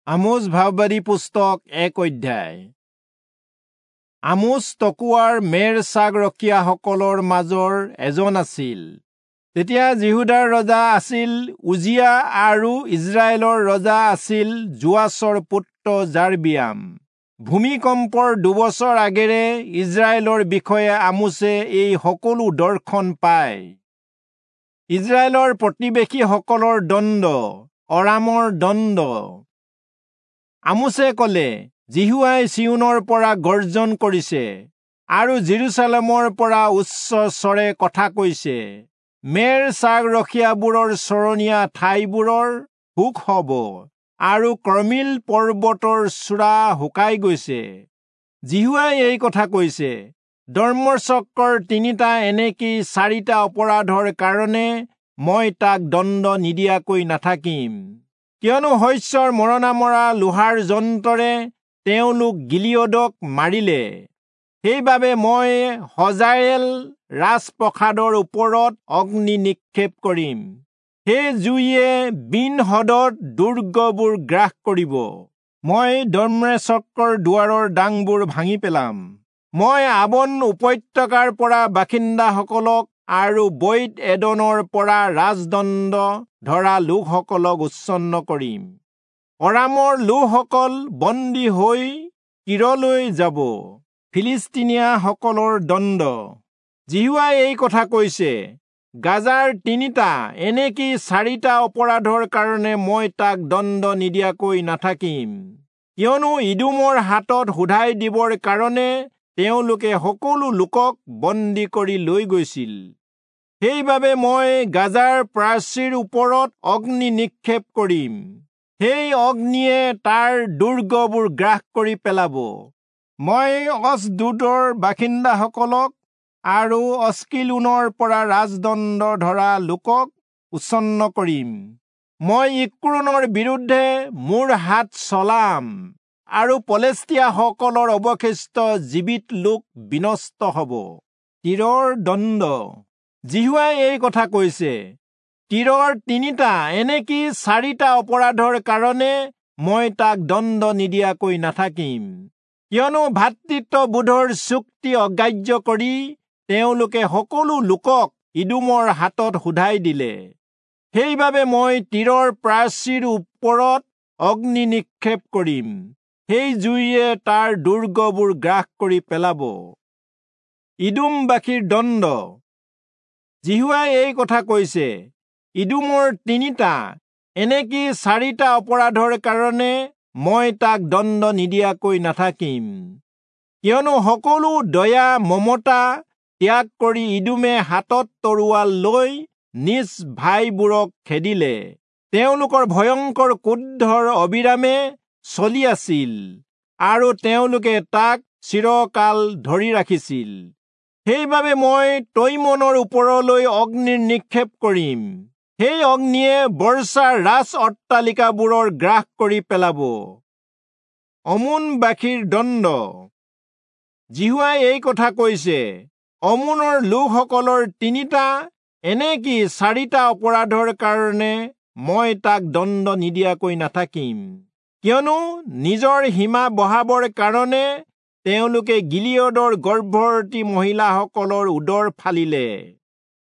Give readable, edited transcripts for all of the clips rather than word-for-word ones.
আমোচ ভাববাদী পুস্তক 1 অধ্যায়। আমোচ তকোৱাৰ মেৰ ছাগ ৰখীয়াসকলৰ মাজৰ এজন আছিল। তেতিয়া যিহূদাৰ ৰজা আছিল উজিয়া আৰু ইজৰাইলৰ ৰজা আছিল যোৱাচৰ পুত্ৰ যাৰবিয়াম। ভূমিকম্পৰ 2 বছৰ আগেৰে ইজৰাইলৰ বিষয়ে আমোচে এই সকলো দৰ্শন পায়। ইজৰাইলৰ প্ৰতিবেশীসকলৰ দণ্ড, অৰামৰ দণ্ড। আমোচে কলে, যিহোৱাই চিয়োনৰ পৰা গৰ্জন কৰিছে আৰু জেৰুচালেমৰ পৰা উচ্চ স্বৰে কথা কৈছে। মেৰ ছাগ ৰখীয়াবোৰৰ চৰণীয়া ঠাইবোৰৰ সুখ হব আৰু কৰ্মিল পৰ্বতৰ চূড়া শুকাই গৈছে। যিহোৱাই এই কথা কৈছে, দম্মেচকৰ 3টা এনেকি 4টা অপৰাধৰ কাৰণে মই তাক দণ্ড নিদিয়াকৈ নাথাকিম। কিয়নো শস্যৰ মৰণা মৰা লোহাৰ যন্ত্ৰৰে তেওঁলোক গিলিয়দক মাৰিলে। সেইবাবে মই হজায়েল ৰাজপ্ৰসাদৰ ওপৰত অগ্নি নিক্ষেপ কৰিম। সেই জুইয়ে বিন-হদদ দুৰ্গবোৰ গ্ৰাস কৰিব। মই দম্মেচকৰ দুৱাৰৰ ডাংবোৰ ভাঙি পেলাম। মই আবন উপত্যকাৰ পৰা বাসিন্দাসকলক আৰু বৈত এদনৰ পৰা ৰাজদণ্ড ধৰা লোকসকলক উচ্ছন্ন কৰিম। অৰামৰ লোকসকল বন্দী হৈ কীৰলৈ যাব। ফিলিস্তিনীয়াসকলৰ দণ্ড। যিহোৱাই এই কথা কৈছে, গাজাৰ 3টা এনেকি 4টা অপৰাধৰ কাৰণে মই তাক দণ্ড নিদিয়াকৈ নাথাকিম। কিয়নো ইদোমৰ হাতত শোধাই দিবৰ কাৰণে তেওঁলোকে সকলো লোকক বন্দী কৰি লৈ গৈছিল। সেইবাবে মই গাজাৰ প্ৰাচীৰ ওপৰত অগ্নি নিক্ষেপ কৰিম। সেই অগ্নিয়ে তাৰ দুৰ্গবোৰ গ্ৰাস কৰি পেলাব। মই অচদোদৰ বাসিন্দাসকলক আৰু অস্কিলোনৰ পৰা ৰাজদণ্ড ধৰা লোকক উচ্ছন্ন কৰিম। মই ইক্ৰোনৰ বিৰুদ্ধে মোৰ হাত চলাম আৰু পলেষ্টীয়াসকলৰ অৱশিষ্ট জীৱিত লোক বিনষ্ট হব। তীৰৰ দণ্ড। যিহোৱাই এই কথা কৈছে, তীৰৰ 3টা এনেকি 4টা অপৰাধৰ কাৰণে মই তাক দণ্ড নিদিয়াকৈ নাথাকিম। কিয়নো ভাতৃত্ববোধৰ চুক্তি অগ্ৰাহ্য কৰি তেওঁলোকে সকলো লোকক ইদোমৰ হাতত শোধাই দিলে। সেইবাবে মই তীৰৰ প্ৰাচীৰ ওপৰত অগ্নি নিক্ষেপ কৰিম। সেই জুইয়ে তাৰ দুৰ্গবোৰ গ্ৰাস কৰি পেলাব। ইদোমবাসীৰ দণ্ড। যিহোৱাই এই কথা কৈছে, ইদোমৰ 3টা এনেকি 4টা অপৰাধৰ কাৰণে মই তাক দণ্ড নিদিয়াকৈ নাথাকিম। কিয়নো সকলো দয়া মমতা ত্যাগ কৰি ইদোমে হাতত তৰোৱাল লৈ নিজ ভাইবোৰক খেদিলে। তেওঁলোকৰ ভয়ংকৰ ক্ৰোধৰ অবিৰামে চলি আছিল আৰু তেওঁলোকে তাক চিৰকাল ধৰি ৰাখিছিল। সেইবাবে মই তৈমনৰ ওপৰলৈ অগ্নিৰ নিক্ষেপ কৰিম। সেই অগ্নিয়ে বৰ্ষাৰ ৰাজ অট্টালিকাবোৰৰ গ্ৰাস কৰি পেলাব। অমোনবাসীৰ দণ্ড। যিহোৱাই এই কথা কৈছে, অমোনৰ লোকসকলৰ 3টা এনেকি 4টা অপৰাধৰ কাৰণে মই তাক দণ্ড নিদিয়াকৈ নাথাকিম। কিয়নো নিজৰ সীমা বঢ়াবৰ কাৰণে তেওঁলোকে গিলিয়দৰ গৰ্ভৱতী মহিলাসকলৰ উদৰ ফালিলে।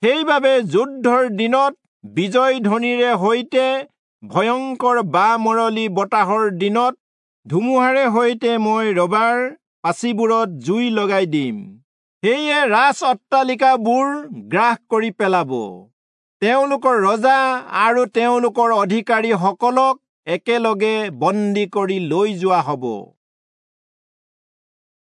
সেইবাবে যুদ্ধৰ দিনত বিজয় ধ্বনিৰে সৈতে, ভয়ংকৰ বামৰলি বতাহৰ দিনত ধুমুহাৰে সৈতে মই ৰবাৰ পাচিবোৰত জুই লগাই দিম। সেয়ে ৰাজ অট্টালিকাবোৰ গ্ৰাস কৰি পেলাব। তেওঁলোকৰ ৰজা আৰু তেওঁলোকৰ অধিকাৰীসকলক একেলগে বন্দী কৰি লৈ যোৱা হব।